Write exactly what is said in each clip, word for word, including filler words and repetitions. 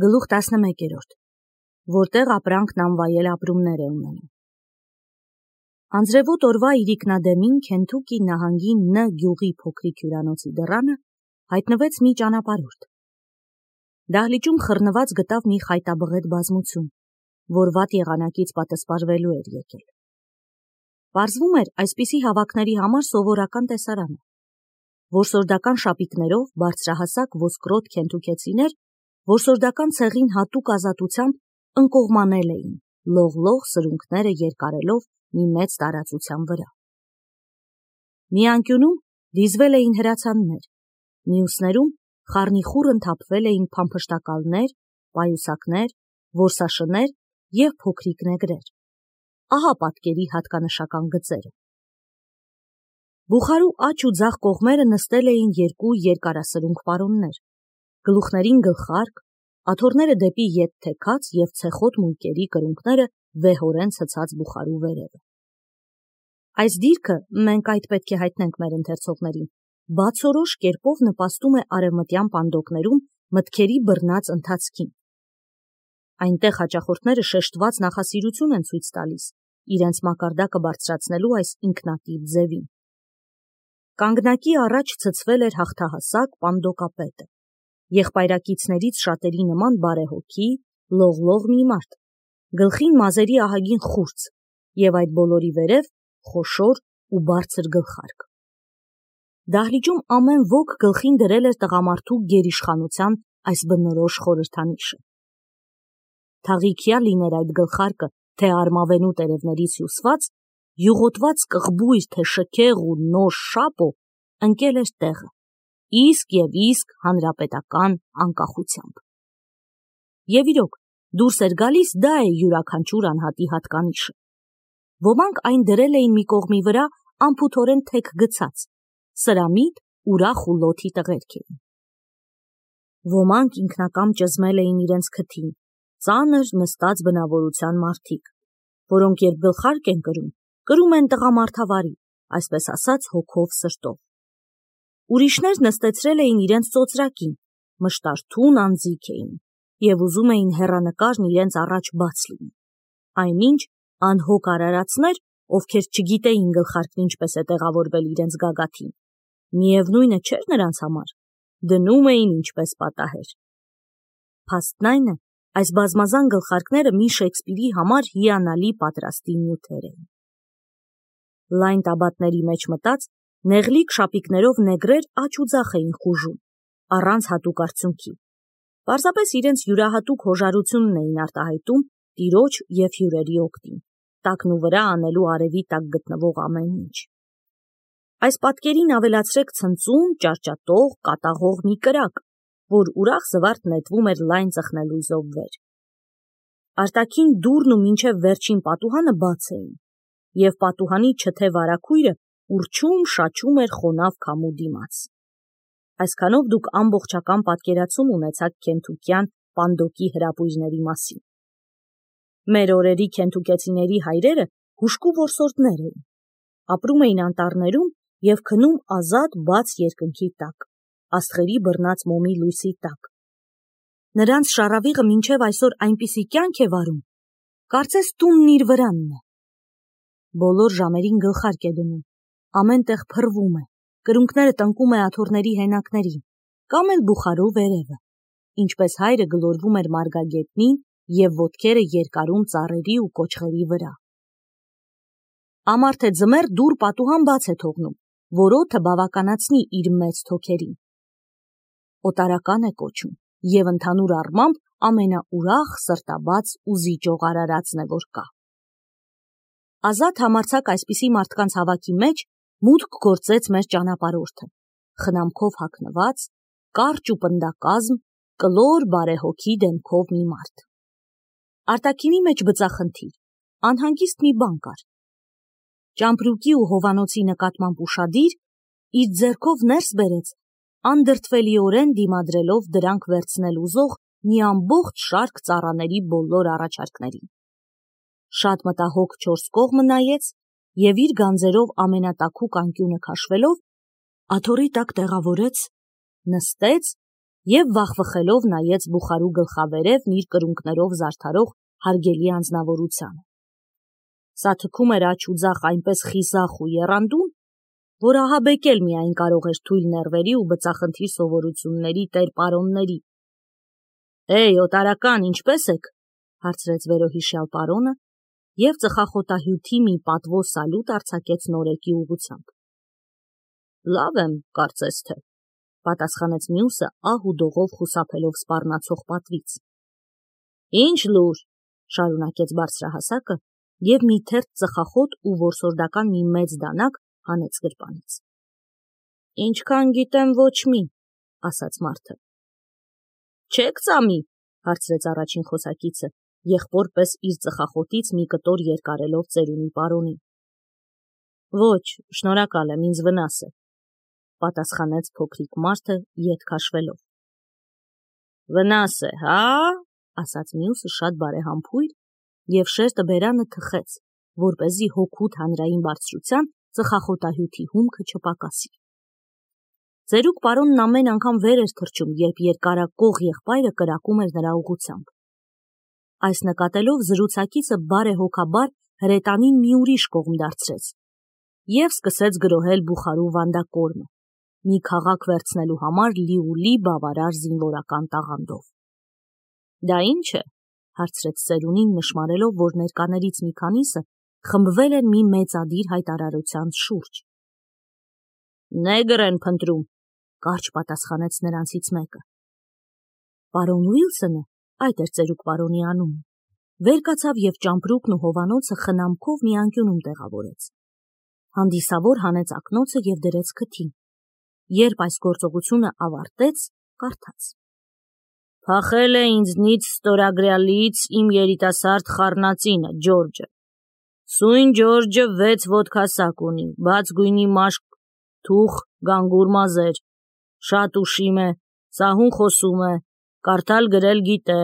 Գլուխ տասնմեկերորդ, որտեղ ապրանքն անվայել ապրումներ է ունենում։ Անձրևոտ օրվա իրիկնադեմին Քենթուկի նահանգի Ն գյուղի փոքրիկ հյուրանոցի դռանը հայտնվեց մի ճանապարհորդ։ Դահլիճում խռնված գտավ մի խայտաբղետ բազմություն, որ վատ եղանակից պատասպարվելու էր եկել։ Պարզվում էր այսպիսի հավաքների համար սովորական տեսարանը։ Որսորդական շապիկներով բարձրահասակ ոսկրոտ քենթուքեցիներ որսորդական ցեղին հատուկ ազատությամբ ընկողմանել էին, լող-լող սրունքները երկարելով մի մեծ տարածության վրա։ Մի անկյունում դիզվել էին հրացաններ, մյուսներում խառնիխուռն թափվել էին փամփշտակալներ, պայուսակներ, որսաշներ և փոքրիկ նեգրեր։ Ահա պատկերի հատկանշական գծերը։ Բուխարու աջ ու ձախ կողմերը նստել էին երկու երկարասրունք պարոններ, գլուխներին գլխարկ, աթոռները դեպի ետ թեքած և ցեխոտ մույկերի կրունկները վեհորեն ցցած բուխարու վերևը։ Այս դիրքը, մենք այդ պետք է հայտնենք մեր ընթերցողներին, բացորոշ կերպով նպաստում է արևմտյան պանդոկներում մտքերի բռնած ընթացքին։ Այնտեղ հաճախորդները շեշտված նախասիրություն են ցույց տալիս իրենց մակարդակը բարձրացնելու այս ինքնատիպ ձևին։ Կանգնակի առաջ ցցվել էր հաղթահասակ պանդոկապետը, եղբայրակիցներից շատերի նման բարեհոգի, լող-լող մի մարդ, գլխին մազերի ահագին խուրձ և այդ բոլորի վերև խոշոր ու բարձր գլխարկ։ Դահլիճում ամեն ոք գլխին դրել էր տղամարդու գերիշխանության այս բնորոշ խորհրդանիշը։ Թաղիքյա լիներ այդ գլխարկը, թե արմավենու տերևներից հյուսված, յուղոտված կղբույր, թե շքեղ ու նոշ շապո, ընկել էր տեղը, իսկ և իսկ հանրապետական անկախությամբ։ Եվ իրոք, դուրս էր գալիս դա է յուրաքանչյուր անհատի հատկանիշը։ Ոմանք այն դրել էին մի կողմի վրա անփութորեն թեք գցած, սրամիտ, ուրախ ու լոթի տղերք էին։ Ոմանք ինքնակամ ճզմել էին իրենց քթին, ծանր նստած բնավորության մարդիկ, որոնք երբ գլխարկ են կրում, կրում են տղամարդավարի, այսպես ասած հոգով սրտով։ Ուրիշներ նստեցրել էին իրենց ծոծրակին, մշտարթուն անձիկ էին և ուզում էին հեռանկարն իրենց առաջ բաց լինի։ Այնինչ անհոգ արարածներ, ովքեր չգիտեին գլխարկն ինչպես է տեղավորվել իրենց գագաթին, միևնույնը չէր նրանց համար, դնում էին ինչպես պատահեր։ Փաստն այն է, այս բազմազան գլխարկները մի Շեքսպիրի համար հիանալի պատրաստի նյութեր էին։ Լայն տաբատների մեջ մտած, նեղլիկ շապիկներով նեգրեր աջ ու ձախ էին խուժում, առանց հատուկ արդյունքի, պարզապես իրենց յուրահատուկ հոժարությունն էին արտահայտում տիրոջ և հյուրերի օգտին, տակնու վրա անելու արևի տակ գտնվող ամեն ինչ։ Այս պատկերին ավելացրեք ցնծուն, ճարճատող, կատաղող մի կրակ, որ ուրախ զվարթ նետվում էր լայն ծխնելույզով վեր։ Արտաքին դուռն ու մինչև վերջին պատուհանը բաց էին, և պատուհանի չթե վարագույրը ուռչում շաչում էր խոնավ քամու դիմաց։ Այսքանով դուք ամբողջական պատկերացում ունեցաք քենթուկյան պանդոկի հրապույրների մասին։ Մեր օրերի քենթուկեցիների հայրերը հուժկու որսորդներ էին, ապրում էին անտառներում և քնում ազատ բաց երկնքի տակ, աստղերի բռնած մոմի լույսի տակ։ Նրանց շառավիղը մինչև այսօր այնպիսի կյանք է վարում, կարծես տունն իր վրանն է։ Բոլոր ժամերին գլխարկ է դնում, ամեն տեղ փռվում է, կրունկները տնկում է աթոռների հենակներին, կամ էլ բուխարու վերևը, ինչպես հայրը գլորվում էր մարգագետնին և ոտքերը երկարում ծառերի ու կոճղերի վրա։ Ամառ թե ձմեռ դուռ պատուհան բաց է թողնում, որ օդը բավականացնի իր մեծ թոքերին։ Օտարական է կոչում և ընդհանուր առմամբ ամենաուրախ, սրտաբաց ու զիջող արարածն է, որ կա։ Ազատ համարձակ այսպիսի մարդկանց հավաքի մեջ մուտք գործեց մեր ճանապարհորդը, խնամքով հագնված, կարճ ու պնդակազմ, կլոր բարեհոգի դեմքով մի մարդ։ Արտաքինի մեջ բծախնդիր, անհանգիստ մի բան կար։ Ճամպրուկի ու հովանոցի նկատմամբ ուշադիր, իր ձեռքով ներս բերեց, անդրդվելիորեն դիմադրելով դրանք վերցնել ուզող մի ամբողջ շարք ծառաների բոլոր առաջարկներին։ Շատ մտահոգ չորս կողմը նայեց և իր գանձերով ամենատաքուկ անկյունը քաշվելով, աթոռի տակ տեղավորեց, նստեց և վախվխելով նայեց Բուխարու գլխավերևն իր կրունկներով զարդարող հարգելի անձնավորությանը։ Սա թքում էր աջ ու ձախ այնպես խիզախ ու եռանդուն, որ ահաբեկել միայն կարող էր թույլ նեռվերի ու բծախնդիր սովորությունների տեր պարոնների։ «Էй, օտարական, ինչպե՞ս եք», հարցրեց վերոհիշյալ պարոնը և ծխախոտահյութի մի պատվո սալուտ արձակեց Նորեկի ուղղությամբ։ «Լավ եմ, կարծես թե», պատասխանեց մյուսը ահ ու դողով խուսափելով սպառնացող պատվից։ «Ինչ լուր», շարունակեց բարձրահասակը և մի թերթ ծխախոտ ու որսորդական մի մեծ դանակ հանեց գրպանից։ «Ինչքան գիտեմ, ոչ մի», ասաց մարդը։ «Չե՞ք ծամի», հարցրեց առաջին խոսակիցը, եղբոր պես իր ծխախոտից մի կտոր երկարելով ծերունի պարոնին։ «Ոչ, շնորհակալ եմ, ինձ վնաս է», պատասխանեց փոքրիկ մարդը ետ քաշվելով։ «Վնաս է, հա՞», ասաց մյուսը շատ բարեհամբույր և շերտը բերանը թխեց, որպեսզի հօգուտ հանրային բարձրության ծխախոտահյութի հումքը չպակասի։ Ծերուկ պարոնն ամեն անգամ վեր էր թռչում, երբ երկարակող եղբայրը կրակում էր նրա ուղղությամբ։ Այս նկատելով զրուցակիցը բարեհոգաբար հրետանին մի ուրիշ կողմ դարձրեց և սկսեց գրոհել Բուխարու վանդակորմը, մի քաղաք վերցնելու համար լիուլի բավարար զինվորական տաղանդով։ «Դա ի՞նչ է», հարցրեց ծերունին, նշմարելով, որ ներկաներից մի քանիսը խմբվել են մի մեծադիր հայտարարության շուրջ։ «Նեգր են փնտրում», կարճ պատասխանեց նրանցից մեկը։ Պարոն Ուիլսոնը, այդ էր ծերուկ պարոնի անունը, վեր կացավ և ճամպրուկն ու հովանոցը խնամքով մի անկյունում տեղավորեց։ Հանդիսավոր հանեց ակնոցը և դրեց քթին։ Երբ այս գործողությունը ավարտեց, կարդաց. «Փախել է ինձնից ստորագրյալից իմ երիտասարդ խառնածինը, Ջորջը։ Սույն Ջորջը վեց ոտքասակ ունի, բաց գույնի մաշկ, թուխ, գանգուր մազեր, շատ ուշիմ է, սահուն խոսում է, կարդալ գրել գիտե,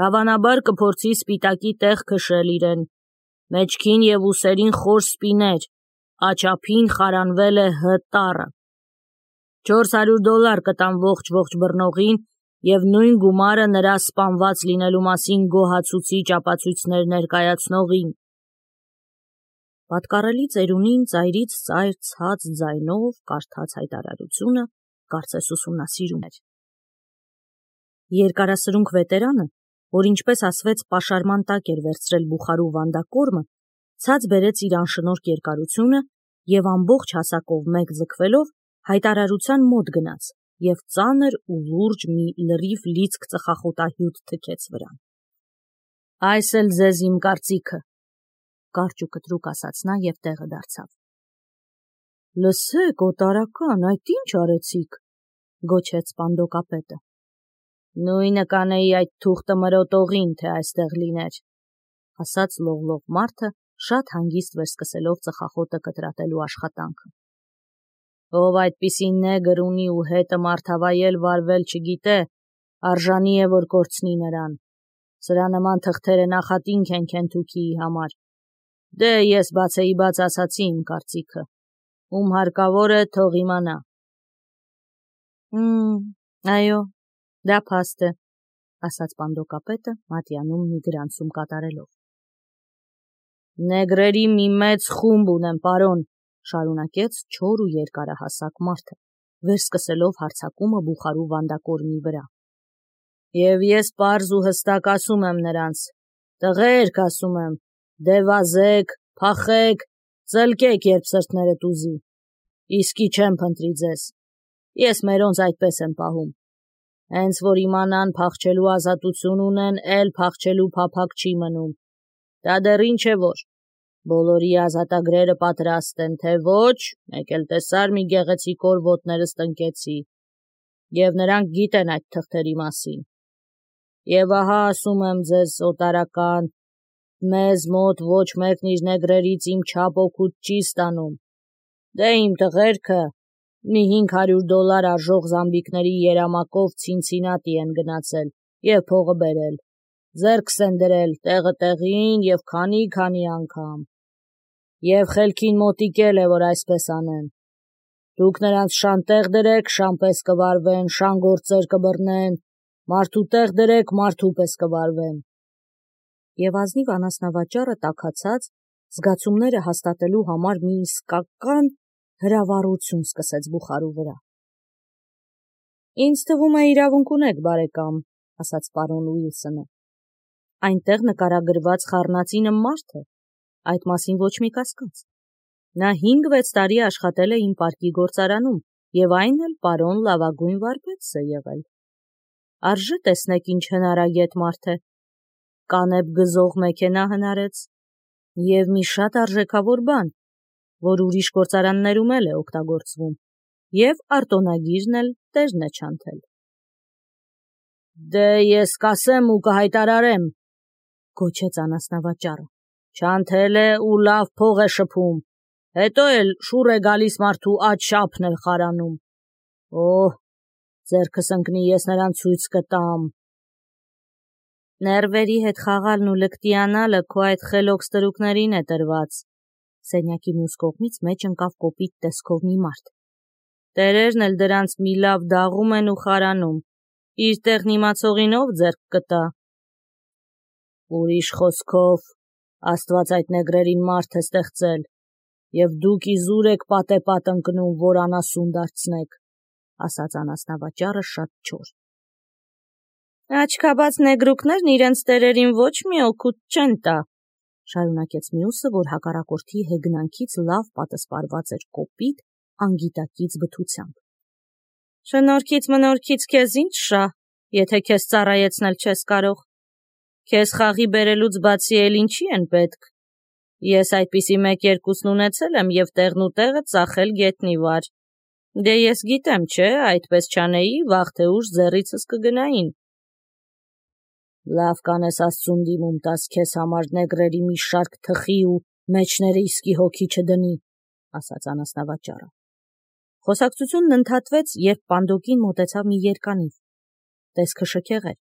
հավանաբար կփորձի սպիտակի տեղ քշել իրեն, մեջքին և ուսերին խոր սպիներ, աչափին խարանվել է Հ տառը։ Չորս հարյուր դոլար կտամ ողջ-ողջ բռնողին և նույն գումարը նրա սպանված լինելու մասին գոհացուցիչ ապացույցներ ներկայացնողին»։ Պատկառելի ծերունին ծայրից ծայր ցած ձայնով կարդաց հայտարարությունը, կարծես ուսումնասիրում էր։ Երկարասրունք վետերանը, որ ինչպես ասվեց պաշարման տակ էր վերցրել Բուխարու վանդակորմը, ցած բերեց իր անշնորհք երկարությունը և ամբողջ հասակով մեկ ձգվելով հայտարարության մոտ գնաց և ծանր ու լուրջ մի լրիվ լիցք ծխախոտահյութ թքեց վրան։ «Այս էլ ձեզ իմ կարծիքը», կարճ ու կտրուկ ասաց նա և տեղը դարձավ։ «Լսեք, օտարական, այդ ի՞նչ արեցիք», գոչեց պանդոկապետը։ «Նույնը կանեի այդ թուղթը մրոտողին, թե այստեղ լիներ», ասաց լողլող մարդը, շատ հանգիստ վերսկսելով ծխախոտը կտրատելու աշխատանքը։ «Ով այդպիսի նեգր ունի ու հետը մարդավայել վարվել չգիտե, արժանի է, որ կորցնի նրան։ Սրա նման թղթերը նախատինք են Քենթուքիի համար։ Դե, ես բացեի բաց ասացի իմ կարծիքը, ում հարկավոր է, թող իմանա»։ «Հմ, այո, դա փաստ է», ասաց պանդոկապետը, մատյանում մի գրանցում կատարելով։ «Նեգրերի մի մեծ խումբ ունեմ, պարոն», շարունակեց չոր ու երկարահասակ մարդը, վերսկսելով հարձակումը Բուխարու վանդակորմի վրա։ «Եվ ես պարզ ու հստակ ասում եմ նրանց. տղերք, ասում եմ, դե վազեք, փախեք, ծլկեք, երբ սրտներդ ուզի։ Իսկի չեմ փնտրի ձեզ։ Ես մերոնց այդպես եմ պահում։ Հենց որ իմանան փախչելու ազատություն ունեն, էլ փախչելու փափագ չի մնում։ Դա դեռ ինչ է որ։ Բոլորի ազատագրերը պատրաստ են, թե ոչ, մեկ էլ տեսար մի գեղեցիկ օր ոտներս տնկեցի, և նրանք գիտեն այդ թղթերի մասին։ Եվ ահա ասում եմ ձեզ, օտարական, մեզ մոտ ոչ մեկն իր նեգրերից իմ չափ օգուտ չի ստանում։ Դե իմ տղերքը մի հինգ հարյուր դոլար արժող զամբիկների երամակով Ցինցինատի են գնացել և փողը բերել, ձեռքս են դրել տեղը տեղին և քանի-քանի անգամ։ Եվ խելքին մոտիկել է, որ այսպես անեն։ Դուք նրանց շան տեղ դրեք, շան պես կվարվեն, շան գործեր կբռնեն, մարդու տեղ դրեք, մարդու պես կվարվեն։ Եվ ազնիվ անասնավաճառը տաքացած, զգացումները հաստատելու համար մի իսկական հրավառություն սկսեց բուխարու վրա։ Ինձ թվում է իրավունք ունեք, բարեկամ, ասաց պարոն Ուիլսոնը։ Այնտեղ նկարագրված խառնածինը մարդ է, այդ մասին ոչ մի կասկած։ Նա հինգ-վեց տարի աշխատել է իմ պարկի գործարանում, եւ այն էլ պարոն լավագույն վարպետս է եղել։ Արժե տեսնեք ինչ հնարագետ մարդ է, կանեփ գզող մեքենա հնարեց, եւ մի շատ արժեքավոր բան, որ ուրիշ գործարաններում էլ է օգտագործվում, եւ արտոնագիրն էլ տերն է չանթել։ Դե ես կասեմ ու կհայտարարեմ, գոչեց անասնավաճառը, չանթել է ու լավ փող է շփում, հետո էլ շուռ է գալիս մարդու աջ շապն էլ խարանում։ Օհ, ձերքս ընկնի, ես նրան ցույց կտամ։ Ներվերի հետ խաղալն ու լկտիանալը քո այդ խելոք ստրուկներին է տրված։ Սենյակի մյուս կողմից մեջ ընկավ կոպիտ տեսքով մի մարդ։ Տերերն էլ դրանց մի լավ դաղում են ու խարանում, իր տեղն իմացողին ով ձեռք կտա։ Ուրիշ խոսքով, Աստված այդ նեգրերին մարդ է ստեղծել, եւ դուք իզուր եք պատեպատ ընկնում, որ անասուն դարձնեք, ասաց անասնավաճառը շատ չոր։ Աչքաբաց նեգրուկներն իրենց տերերին ոչ մի օգուտ չեն տա, շարունակեց մյուսը, որ հակառակորդի հեգնանքից լավ պատասպարված էր կոպիտ, անգիտակից բթությամբ։ Շնորհքից մնորքից քեզ ինչ շա, եթե քեզ ծառայեցնել չես կարող։ Քեզ խաղի բերելուց բացի էլ ինչի են պետք։ Ես այդպիսի մեկ-երկուսն ունեցել եմ եւ տեղն ու տեղը ծախել գետնի վար։ Դե ես գիտեմ, չէ, այդպես չանեի, վաղ թե ուշ ձեռիցս կգնային։ Լավ կանես Աստծուն դիմում տաս քեզ համար նեգրերի մի շարք թխի ու մեջները իսկի հոգի չդնի, ասաց անասնավաճառը։ Խոսակցությունն ընդհատվեց, երբ Պանդոկին մոտեցավ մի երկանիվ։ Տեսքը շքեղ էր։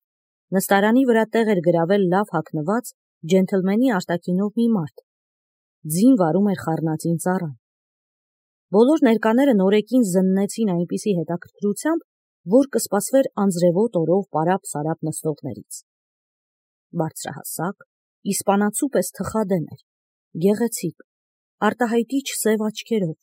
Նստարանի վրա տեղ էր գրավել լավ հագնված, ջենթլմենի արտաքինով մի մարդ։ Ձին վարում էր խառնածին ծառան։ Բոլոր ներկաները նորեկին զննեցին այնպիսի հետաքրքրությամբ, որ կսպասվեր անձրևոտ օրով պարապ-սարապ նստողներից։ Բարձրահասակ, իսպանացու պես թխադեմ էր, գեղեցիկ, արտահայտիչ սև աչքերով,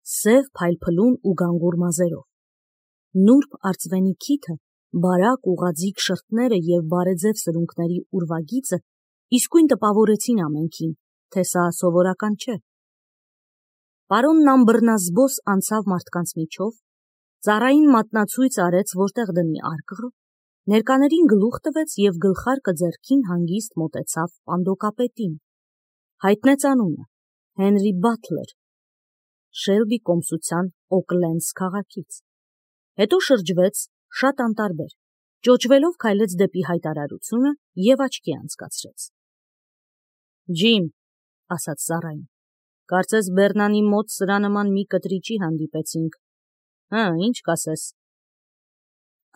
սև փայլփլուն ու գանգուր մազերով։ Նուրբ արծվենի քիթը, բարակ ուղաձիգ շրթները եւ բարեձև սրունքների ուրվագիծը իսկույն տպավորեցին ամենքին, թե սա սովորական չէ։ Պարոնն ամբռնազբոս անցավ մարդկանց միջով, ծառային մատնացույց արեց, որտեղ դնի արկղը, ներկաներին գլուխ տվեց եւ գլխարկը ձեռքին հանգիստ մոտեցավ Պանդոկապետին։ Հայտնեց անունը՝ Հենրի Բաթլեր, Շելբի կոմսության Օկլենդս քաղաքից։ Հետո շրջվեց շատ անտարբեր, ճոճվելով քայլեց դեպի հայտարարությունը եւ աչքի անցկացրեց։ Ջիմ, ասաց ծառային, կարծես Բեռնանի մոտ սրա նման մի կտրիճի հանդիպեցինք։ Հա, ինչ կասես։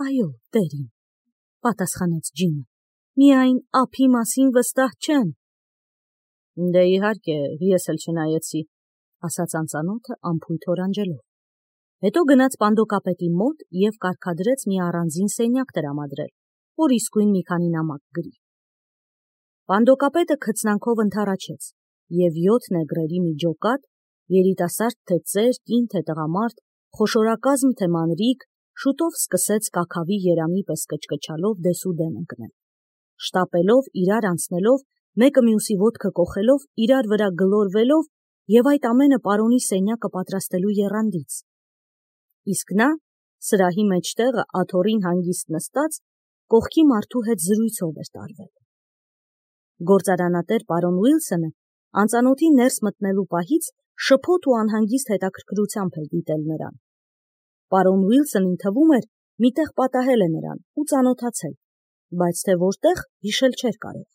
Այո, տերին, պատասխանեց Ջիմը, միայն ափի մասին վստահ չեմ։ Դե իհարկե, ես էլ չնայեցի, ասաց անծանոթը անփույթ օրանջելով։ Հետո գնաց Պանդոկապետի մոտ եւ կարգադրեց մի առանձին սենյակ տրամադրել, որ իսկույն մի քանի նամակ գրի։ Պանդոկապետը քծնանքով ընդառաջեց, եւ յոթ նեգրերի մի ջոկատ, երիտասարդ թե ծեր, կին թե տղամարդ, խոշորակազմ թե մանրիկ, շուտով սկսեց կաքավի երամի պես կչկչալով դեսուդեն ընկնել, շտապելով, իրար անցնելով, մեկը մյուսի ոտքը կոխելով, իրար վրա գլորվելով եւ այդ ամենը պարոնի սենյակը պատրաստելու եռանդից։ Իսկ նա, սրահի մեջտեղը աթոռին հանգիստ նստած, կողքի մարդու հետ զրույցով էր տարվել։ Գործարանատեր պարոն Ուիլսոնը անծանոթի ներս մտնելու պահից շփոթ ու անհանգիստ հետաքրքրությամբ էր դիտել նրան։ Պարոն Ուիլսոնին թվում էր, միտեղ պատահել է նրան ու ծանոթացել, բայց թե որտեղ հիշել չէր կարող։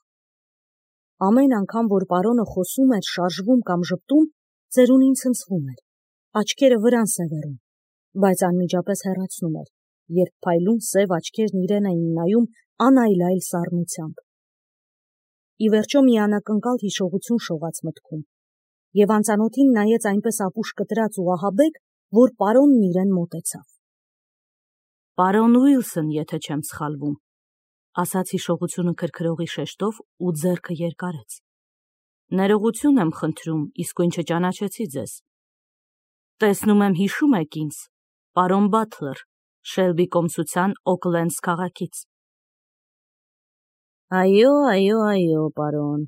Ամեն անգամ, որ պարոնը խոսում էր, շարժվում կամ ժպտում, ծերունին ցնցվում էր, աչքերը վրան սևեռում, բայց անմիջապես հեռացնում էր, երբ փայլուն սև աչքերն իրեն էին նայում անայլայլ սառնությամբ։ Ի վերջո մի անակնկալ հիշողություն շողաց մտքում, եւ անծանոթին նայեց այնպես ապուշ կտրած ու ահաբեկ, որ պարոնն իրեն մոտեցավ։ Պարոն Ուիլսոն, եթե չեմ սխալվում, ասաց հիշողությունը քրքրողի շեշտով ու ձեռքը երկարեց։ Ներողություն եմ խնդրում, իսկույն չճանաչեցի ձեզ։ Տեսնում եմ հիշում եք ինձ, պարոն Բաթլեր, Շելբի կոմսության Օքլենդս քաղաքից։ Այո, այո, այո, պարոն,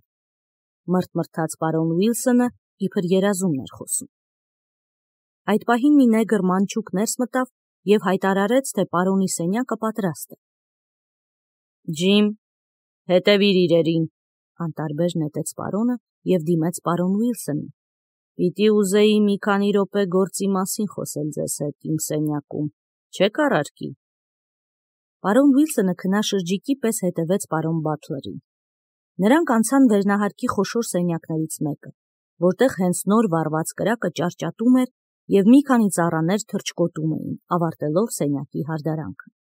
մրթմրթաց պարոն Ուիլսոնը, իբր երազումն էր խոսում։ Այդ պահին մի նեգր մանչուկ ներս մտավ և հայտարարեց, թե պարոնի սենյակը պատրաստ է։ Ջիմ, հետևիր իրերին, անտարբեր նետեց պարոնը և դիմեց պարոն Ուիլսոնին։ Պիտի ուզեի մի քանի րոպե գործի մասին խոսել ձեզ հետ իմ սենյակում, չեք առարկի։ Պարոն Ուիլսոնը քնաշրջիկի պես հետևեց պարոն Բաթլերին։ Նրանք անցան վերնահարկի խոշոր սենյակներից մեկը, որտեղ հենց նոր վառված կրակը ճարճատում էր և մի քանի ծառաներ թռչկոտում էին, ավարտելով սենյակի հարդարանքը։